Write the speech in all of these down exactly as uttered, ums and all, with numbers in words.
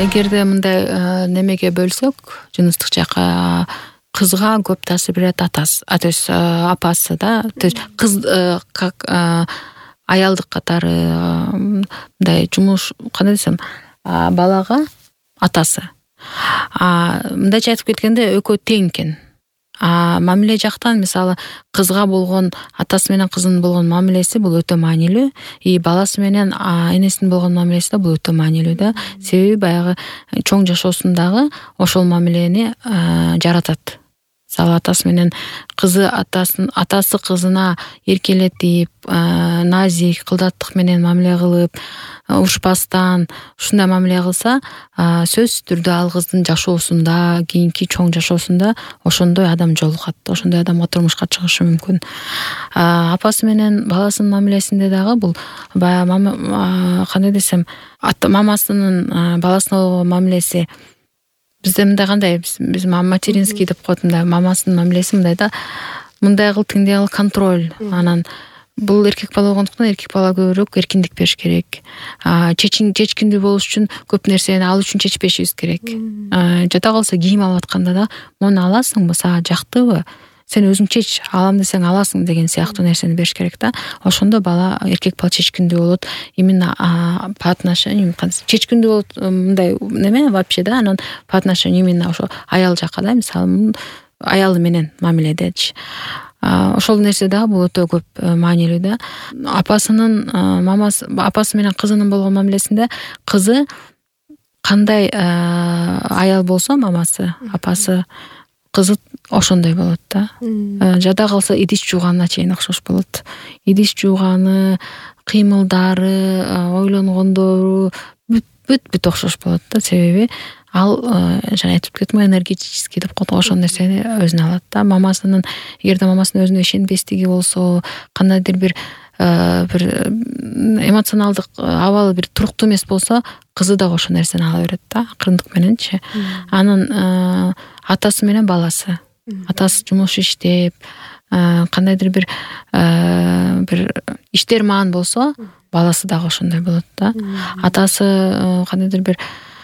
эгерде мындай немеге бөлсөк, жыныстык жакка кызга көп таасир берет атасы, то есть апасы да, то есть кыз как аялдык катары мындай жумуш, кандай десем, балага атасы. А мындайча айтып кеткенде экөө тең экен. А мамиле жактан мисалы кызга болгон, атасы менен кызынын болгон мамилеси бул өтө маанилүү, и баласы менен энесинин болгон мамилеси да бул өтө маанилүү да. Себеби баягы чоң жашоосундагы ошол мамилени жаратат. Мисалы атасы менен кызы атасын атасы кызына эркелетип, назик, кылдаттык менен мамиле кылып, урушпастан ушундай мамиле кылса, сөзсүз түрдө ал кыздын жашоосунда, кийинки чоң жашоосунда ошондой адам жолугат, ошондой адамга турмушка чыгышы мүмкүн. Апасы менен баласынын мамилесинде дагы бул баягы кандай десем, мамасынын баласына болгон мамилеси бизде мындай кандай, биз материнский деп коет, мындай мамасынын мамилеси мындай да, мындай кыл, тиңдей кыл, контроль. Анан бул эркек бала болгондуктан эркек бала көбүрөөк эркиндик бериш керек. Чечин чечкиндүү болуш үчүн көп нерсени ал үчүн чечпешибиз керек. Жада калса кийим алып атканда да, муну аласыңбы, сага жактыбы? Сен өзүң чеч, алам десең аласың деген сыяктуу нерсени бериш керек да. Ошондо бала, эркек бала чечкиндүү болот. Именно по отношению, чечкиндүү болот, мындай неме вообще да, анан по отношению именно ошо аял жакка да, мисалы аялы менен мамиледечи. Ошол нерсе дагы бул өтө көп маанилүү да. Апасынын мамасы, апасы менен кызынын болгон мамилесинде кызы кандай аял болсо мамасы, апасы, кызы ошондой болот да. Жада калса идиш жууганына чейин окшош болот. Идиш жууганы, кыймылдары, ойлонгондору бүт бүт окшош болот да. Себеби ал жана айтып кеттим, энергетический деп коет, ошол нерсени өзүнө алат да. Мамасынын, эгерде мамасынын өзүнө ишенбестиги болсо, кандайдыр бир бир эмоционалдык абалы бир туруктуу эмес болсо, кызы дагы ошол нерсени ала берет да, акырындык мененчи. Анан атасы менен баласы, атасы жумуш иштеп, кандайдыр бир бир иштер маан болсо, баласы дагы ошондой болот да. Атасы кандайдыр бир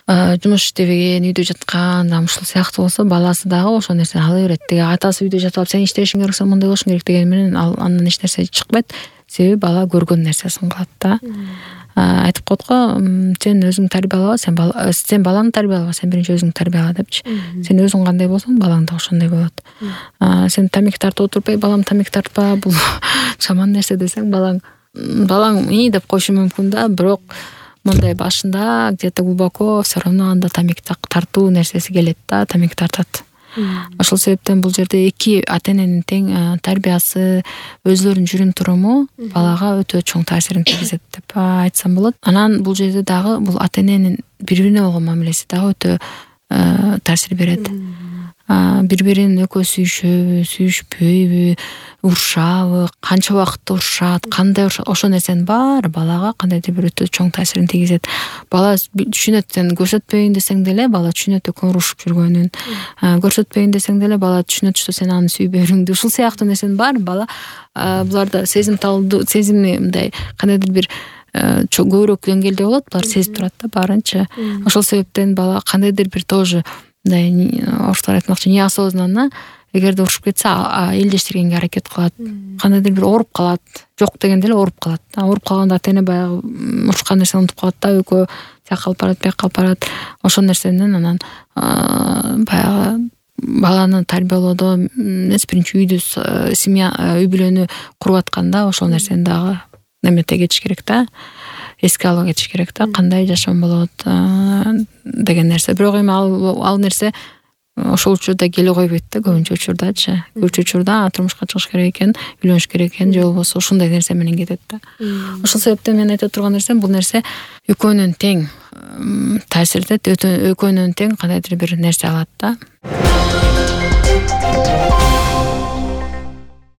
жумуш иштебеген, үйдө жаткан, ушул сыяктуу болсо, баласы дагы ошол нерсени ала берет. Деги атасы үйдө жатып алып, сен иштешиң керек болсо мындай болушуң керек деген менен ал андан эч нерсе чыкпайт. Себеби бала көргөн нерсесин кылат да. Айтып коет го, сен өзүң тарбиялаба, сен бала, сен баланы тарбиялаба, сен биринчи өзүң тарбияла депчи. Сен өзүң кандай болсоң, балаң да ошондой болот. Сен тамеки тартып отурбай, балам тамеки тартпа, бул жаман нерсе десең, балаң балаң и деп койушу мүмкүн да, бирок мындай башында где-то глубоко все равно анда тамеки тартуу нерсеси келет да, тамеки тартат. Ошол себептен бул жерде эки ата-эненин тең тарбиясы, өзлөрүнүн жүрүм туруму балага өтө чоң таасирин тийгизет деп айтсам болот. Анан бул жерде дагы бул ата-эненин бири-бирине болгон мамилеси дагы өтө таасир берет. Бири-бирин экөө сүйүшөбү, сүйүшпөйбү, урушабы, канча убакытта урушат, кандай урушат, ошол нерсенин баары балага кандайдыр бир өтө чоң таасирин тийгизет. Бала түшүнөт, сен көрсөтпөйүн десең деле бала түшүнөт экөө урушуп жүргөнүн. Көрсөтпөйүн десең деле бала түшүнөт, что сен аны сүйбөөрүңдү. Ушул сыяктуу нерсенин баары бала буларда сезимталдуу, сезими мындай кандайдыр бир көбүрөөк деңгээлде болот, булар сезип турат да баарынча. Ошол себептен бала кандайдыр бир тоже мындай орустар айтмакчы, неосознанно эгерде урушуп кетсе, элдештиргенге аракет кылат, кандайдыр бир ооруп калат, жок дегенде эле ооруп калат. Ооруп калганда ата-эне баягы урушкан нерсени унутуп калат да, экөө тияка алып барат, бияка алып барат. Ошол нерсенен анан баягы баланы тарбиялоодо эмес, биринчи үйдү, семья, үй бүлөнү куруп атканда ошол нерсени дагы немете кетиш керек да, эске ала кетиш керек да, кандай жашоом болот деген нерсе. Бирок эми ал ал нерсе ошол учурда келе койбойт да, көбүнчө учурдачы. Көбүнчө учурда турмушка чыгыш керек экен, үйлөнүш керек экен, же болбосо ушундай нерсе менен кетет да. Ошол себептен мен айта турган нерсем, бул нерсе экөөнүн тең таасирдет, экөөнүн тең кандайдыр бир нерсе алат да.